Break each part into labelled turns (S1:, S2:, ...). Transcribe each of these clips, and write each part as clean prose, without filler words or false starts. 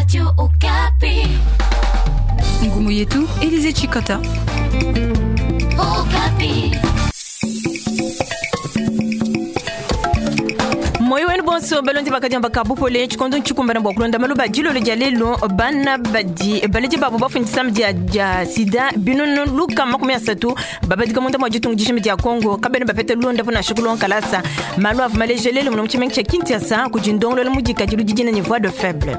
S1: Radio Okapi.
S2: Ngumu yetu Elize Chikota.
S1: Okapi.
S3: Moyo wenu bonso balondi bakadiamba kabupole tshikondo ntshikumbana bua kulonda maluba dilolo dia lelo bana badi baledi babo bafundisa dia dia sida binunu luka 30 babadika munda mwa ditungu dishimi dia Congo kabene bapete londa pona shikulo nkalasa malu ava malejelelo muno mutshimengi tsha Kinshasa kudi ndongololo mudikadilu didina ne voix de faible.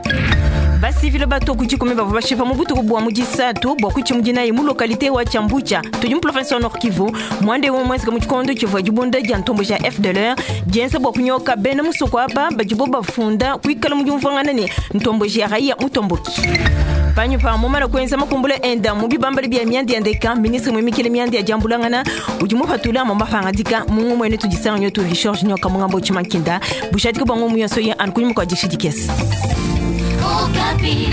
S3: Basivile bato kudikumi bavua bashipa mu butuku bua mu disatu bua kutshimudinayi mu localité wa Tshiambutsha tudi mu province wa Nord Kivu mwande umwe mwenzeka mu tshikondo tshivua dibunda dia ntombo ja FDLR dienza bua kunyoka bena musoko aba badibo bafunda kuikala mu diumvuangana ne ntombo ja raia mutomboki. Panyu pa mumana kuenza makumbula enda mu bibambali bia miandi ya ndeka ministre muimikile miandi ya diambulangana udi mupatula mu mapangadika mungu mwene tudisanga nyotu Richard Nyoka mungambo tshimankinda bushadika bwa ngumu yonso ye anu kunyuma kua dishidikesi.
S1: Okapi.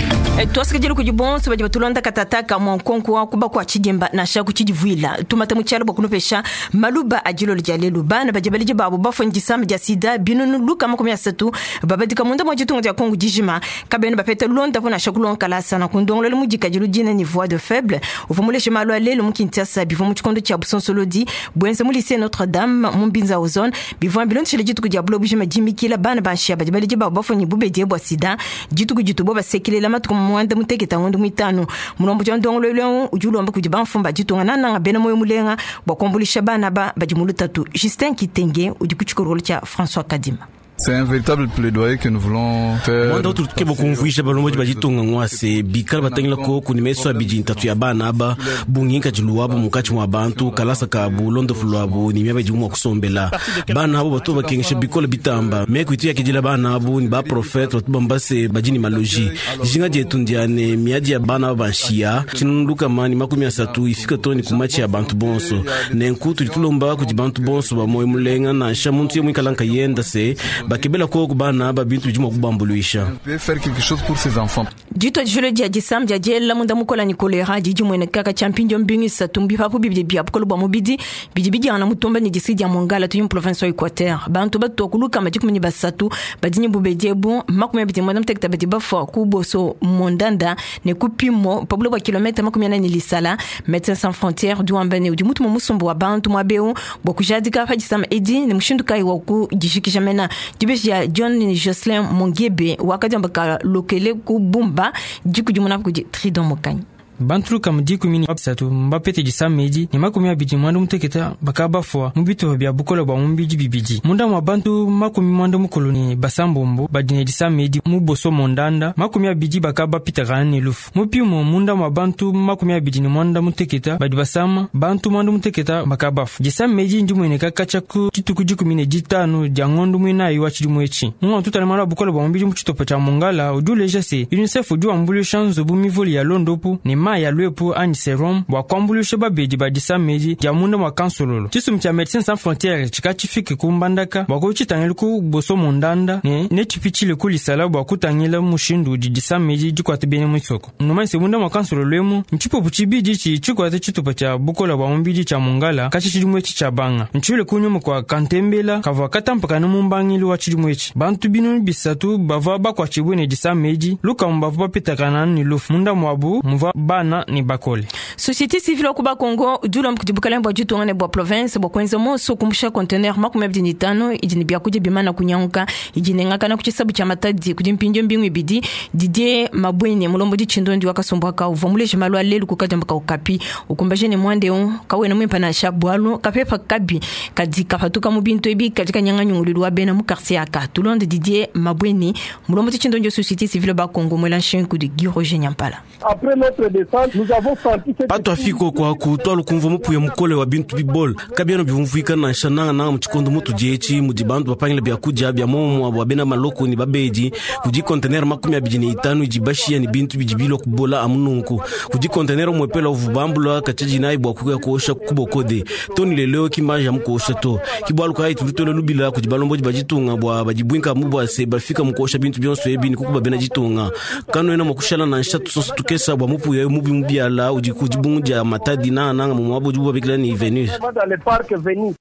S3: Twasikajeli kudi bonso badi batulonda katataka mwa nkonko wa kuba kwa tshidimba nansha kutshidivuila tumata mu tshialo bua kunupesha maluba a dilolo dia lelu bana badi baledi babo bafua disama dia sida binunu luka 30 babadika munda mwa ditunga dia Kongo dijima kabene bapeta londa po nansha kulonkalasa na kundongolola mudikadilu dina ni voix de faible uvua muleshe malu a lelu mu Kinshasa bivua mu tshikondo tshia busonsolodi buenza mu lycée Notre Dame mu Mbinza ozone bivua bilondeshele dituku dia bulo bujima dimikila bana ba nshiya badi baledi babo bafua ni bubedi bua sida dituku ditubo basekelela matuku mwanda muteketa ngondo mwitano mulombo twa ndongololo udi ulomba kudi bamfumba ditunga nananga bena moyo mulenga bua kuambulisha bana ba badi mu lutatu. Justin Kitenge udi ku tshikolokolo tshia François Kadima.
S4: C'est un véritable plaidoyer que nous voulons faire.
S5: Mwanda utu tukeba kumvuisha balomboji bajitunga ngwase bikala batangila koku ni meso abidi ntatu ya bana aba bungi nkaji luabu munkatshi mwa bantu kalasa kabu londofu lwabu ni miaba idimu mwa kusombela bana abo batu bakengesha bikola bitamba meku itu yakidila bana abo ni ba prophète batu bambase badi ni maloji dijinga dietu ndiane miadi ya bana aba banshiya tshinunu lukama ni 30 ifika to ni kumachi ya bantu bonso nenku tudi tulomba kudi bantu bonso ba moyo mulenga nansha muntu ye muikala nkayenda se bakebela koku bana aba bintu bidi mua kubambuluisha.
S4: On peut faire quelque chose pour ces enfants.
S3: Dito dijolo dia disam dia diela munda mukola ni kolera didi mwene kaka champinjo mbingi satu mbipapu bibidi bia bukolo bua mubidi bidi bidiana mutumba ni district dia Mongala tudi mu province wa Equateur bantu batu kuluka majikumi ni basatu badi ni bubedi ebu 28 badi bafua ku boso mondanda ne kupimo pabulo bua kilomètre 40 ni lisala. Médecins Sans Frontières du wambane udi mutu mu musumbu wa bantu mwabeu bua kujadika pa disama edi ni mushindu kayi wa ku dijikija mena dibeji ya John Jocelyn Mongebe wakadiamba ka lokele ku Bumba dikudimuna kudi Tridon Mokanyi.
S6: Bantu lukama 13 mbapete disama edi ne 28 bakaba bafua mu bitupa bia bukola bua mubidi bibidi munda mwa bantu 96 badi ne disama edi mu boso mondanda 20 bakaba bapitakana ne lufu mu pimo munda mwa bantu 29 badi basama bantu 96 bakaba bafua disama edi ndimueneka katshia ku dituku 15 dia ngondo muinayi wa tshidimu etshi mu tutala malu a bukola bua mubidi mu tshitupa tshia Mongala udi uleja se UNICEF udi wambuluisha nzubu mivule ya londopu ne mayi ya lwepu anyi serum bua kuambuluisha babedi ba disama edi dia munda mwa kansololo tshisumbu tshia Médecins Sans Frontières tshika tshifike ku Mbandaka bua kutshitangila ku boso mondanda ne netshipitshile ku lisala bua kutangila mushindu udi disama edi dikuata bena misoko numanyise munda mwa kansololo emu ntshipupu tshibidi tshi tshikuata tshitupa tshia bukola bua mubidi tshia Mongala katshi tshidimu etshi tshia banga ntshivile kunyuma kua kantembela kavua katampakana mu mbangilu wa tshidimu etshi bantu 300 bavua bakuatshibue ne disama edi lukamu bavua bapitakana ne lufu munda muabu muvua bana ni bakole.
S3: Société civile wa kuba Congo udi ulomba kudi bukalenge bua ditunga ne bua province bua kuenza monso kumbusha conteneur 25 idi ne biakudia bimana kunyanguka idi nengakana ku tshisabu tshia Matadi kudi mpindio mbingu ibidi Didier Mabwene mulombodi tshindondi wa kasumbu aka uvua muleje malu a lelu ku kadiamba ka Okapi ukumbaje ne mwande eu kawena muimpe nansha bualu kapepa kabi kadi kapatuka mu bintu ebi kadi kanyanga nyungululu wa bena mu quartier aka. Tulonde Didier Mabwene mulombodi tshindondi wa société civile ba Congo mwela nshingu kudi Guy Roger Nyampala.
S7: Après notre descente, nous avons senti cette
S5: Patu afiko kwaku twalu kumva mupuya mukole wa bintu bibole kabiena bivumvuika nansha nangananga mu tshikondo mutu dietshi mudi bantu bapangila biakudia bia momua bua bena maloko ni babedi kudi conteneur 25 idi bashiya ni bintu bidi bilua kubola amu nunku kudi conteneur umuepela uvu bambula katshia dinayi bua kuya kuosha kubokode toni lelo kimaja mu kuosha to kibualu kayi tudi tuela lubila kudi balombodi ba ditunga bua badibuinka mu bua se bafika mu kuosha bintu bionso ebi ni kukuba bena ditunga kanuena mua kushala nansha tusonso tukesa bua mupuya mubi mubiala udi ku dibungu dia Matadi nangananga mu muaba udibu babikila ni Venus.
S7: Dans le parc Venus.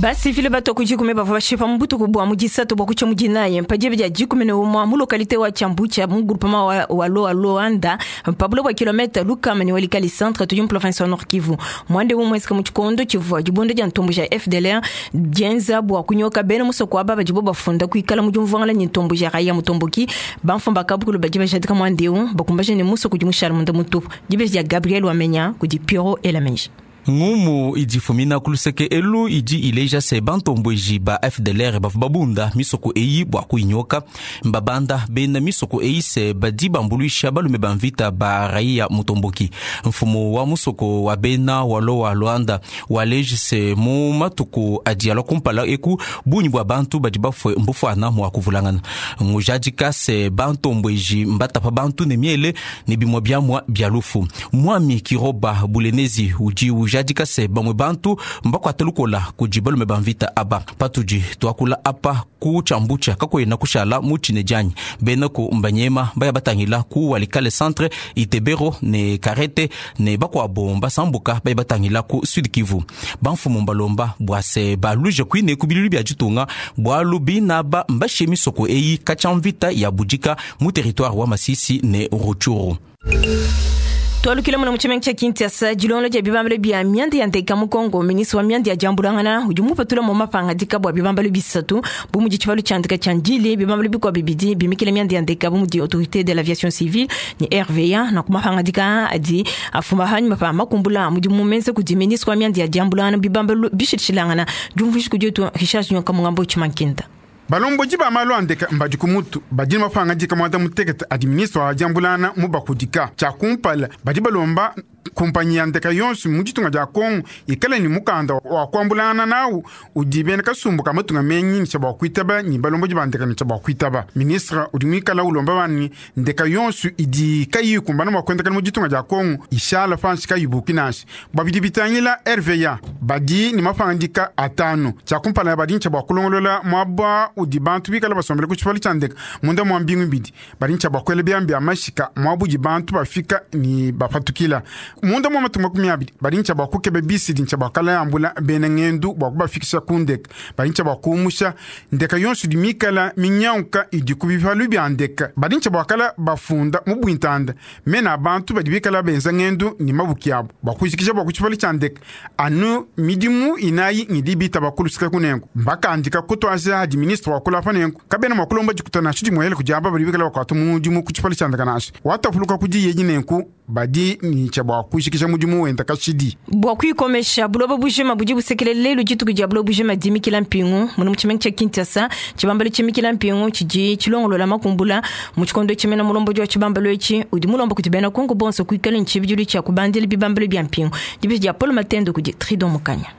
S3: Basivile batua ku dikumi bavua bashipa mu butuku bua mu disatu bua kutshia mu dinayi pa diba dia 11 mu localité wa Tshiambutsha mu groupement wa Loa Loanda pa buloba bua kilomètre lukama ne Walikale centre tudi mu province wa Nord Kivu. Muanda eu mmuenzeke mu tshikondo tshivua dibunda dia ntombo ja FDLR dienza bua kunyoka bena musoko aba badibo bafunda kuikala mu diumvuangana ne ntombo ja Raia Mutomboki. Bamfumu ba kabukulu badi bajadika muanda eu bakumbaja ne musoko udi mushala munda mutupu. Dibeji dia Gabriel Wamenya kudi Pierrot Elameji.
S8: Ngumu idi ifumina ku luseke elu idi ileja se bantombueji ba FDLR bavua babunda misoko eyi bua kuyinyoka. Mbabanda bena misoko eyi se badi bambuluisha balume ba mvita ba Raia Mutomboki. Mfumu wa musoko wa bena Walowa Luanda waleji se mu matuku adi alua kumpala eku bungi bua bantu badi bafue mbufuana mua kuvulangana. Ngujadika se bantombueji mbatapa bantu ne miele ne bimue biamua bia lufu. Mwami Kiroba Bulenezi udi ujadika se bamue bantu mbakuate lukola kudi balume ba mvita aba. Patudi tuakula apa ku Tshiambutsha kakuena kushala mu tshine dianyi. Bena ku mbanyema baya batangila ku Walikale centre Itebero ne Karete ne bakuabo mbasambuka baya batangila ku Sud Kivu. Bamfumu mbalomba bua se baluje kuine ku bilulu bia ditunga bualu binaba mbashe misoko eyi katshia mvita ya budika mu territoire wa Masisi ne Rutshuru.
S3: Twalukile muna mu tshimenga tshia Kinshasa, dilongolola dia bibambalu bia mianda ya nteka mu Congo. Ministre wa mianda ya diambulangana udi mupatula mu mapangadika bua bibambalu bisatu bu mudi tshibalu tshia ndeka tshia Ndjili, bibambalu bikuabu bibidi bimikila mianda ya ndeka bu mudi autorité de l'aviation civile ne RVA. Na ku mapangadika adi afuma hanyuma pa makumbula mudimu menza kudi ministre wa mianda ya diambulangana bibambalu bishilishilangana. Diumvuija kudi wetu Richard Nyoka Mungambo Tshimankinda.
S9: Balomboji ba malu a ndeka mbadi ku mutu badi ne mapangadika muanda mutekete adi ministre wa diambulana mubakudika. Tshia kumpala badi balomba kumpanyi ya ndeka yonso mu ditunga dia Kongo ikale ne mukanda wa kuambulana nawu udi bena kasumbu ka matunga menyi ne tshia bua kuitaba ne balomboji ba ndeka ne tshia bua kuitaba. Ministre udi muikala ulomba bani ndeka yonso idi kayiyi ikumbana mua kuendakana mu ditunga dia Kongo ishala panshi kayibuki nansha. Bua bidi bitangila RVA badi ne mapangadika atanu. Tshia kumpala badi ne tshia bua kulongolola muaba udi bantu bikala basombele ku tshipalu tshia ndeka munda mua mbingu ibidi. Badi ne tshia bua kuela biambi bia mashika muaba udi bantu bafika ne bapatukila. Munda mua matuku makumi abidi badi ne tshia bua kukeba bisi di tshia bua kalayambula bena ngendu bua kubafikisha ku ndeka. Badi ne tshia bua kuumusha ndeka yonso idi mikala minyanguka idi ku bipalu bia ndeka. Badi ne tshia bua kala bafunda mu buintanda mena a bantu badi bikala benza ngendu ne mabuki abu bua kujikija bua ku tshipalu tshia ndeka. Anu midimu inayi ngidi bitaba kulusika kunengo. Mbakandika kutuaja hadi ministre wa kulapa nengo kabena mua kulomba dikuta nansha dimuele kudi aba badi bikala bakuata mudimu ku tshipalu tshia ndeka nansha. Watapuluka kudi yeji nenku badi ne tshia bua kujikija mudimu wenda kashidi.
S3: Bua kuyikomesha buloba bujima budi busekelela lelu dituku dia buloba bujima dimikila mpingu muno mu tshimenga tshia Kinshasa. Tshibambalu tshimikila mpingu tshidi tshilongolola makumbula mu tshikondo tshimena mulombodi wa tshibambalu etshi udi mulomba kudi bena Kongo bonso kuikala ne tshibidilu tshia kubandila bibambalu bia mpingu. Dibeji dia Paul Matendo kudi Tridon Mukanya.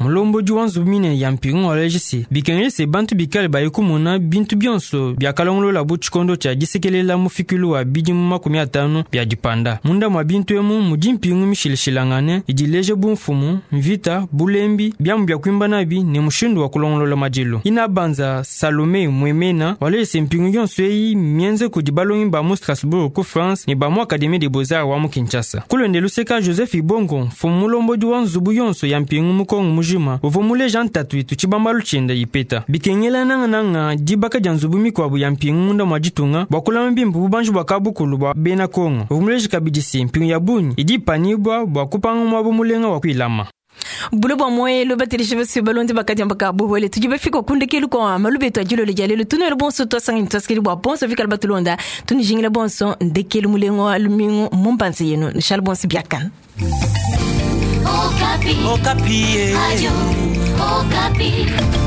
S6: Mulombodi wa nzubu mine ya mpingu waleja se bikengele se bantu bikale baye kumona bintu bionso biakalongolola bu tshikondo tshia disekelela mufikilu wa bidimu makumi atanu bia dipanda. Munda mua bintu emu mudi mpingu mishilashilangane idi ileja bumfumu, mvita, bulembi, biamu bia kuimba nabi ne mushindu wa kulongolola madilu. Ina banza Salome Mwemena waleja se mpingu yonso eyi mienze kudi balongi ba mu Strasbourg ku France ne ba mu Académie des Beaux-Arts wa mu Kinshasa. Kulonde luseka Joseph Ibongo, mfumu mulombodi wa nzubu yonso ya mpingu mu Kongo mujima, uvua muleja ntatu itu tshibambalu tshienda ipeta. Bikengela nangananga dibaka dia nzubu mikuabu ya mpingu munda mua ditunga bua kulama bimpe bubanji bua kabukulu bua bena Kongo. Uvua muleja kabidi se mpingu ya bungi idi ipanibua bua kupanga muaba mulenga wa kuilama.
S3: Bulo bua moyelo bateleshe basi balonde bakadiamba ka buhwele tudi bafika kundekelu kwa malubeto adilole dia lelo tunwele bonso twasangani twasikeli bua bonso vikala batulonda tunijingila bonso ndekelu mulengo wa lumingu mumpanze yenu nshal bonso biakana.
S1: Okapi. Okapi. Radio Okapi.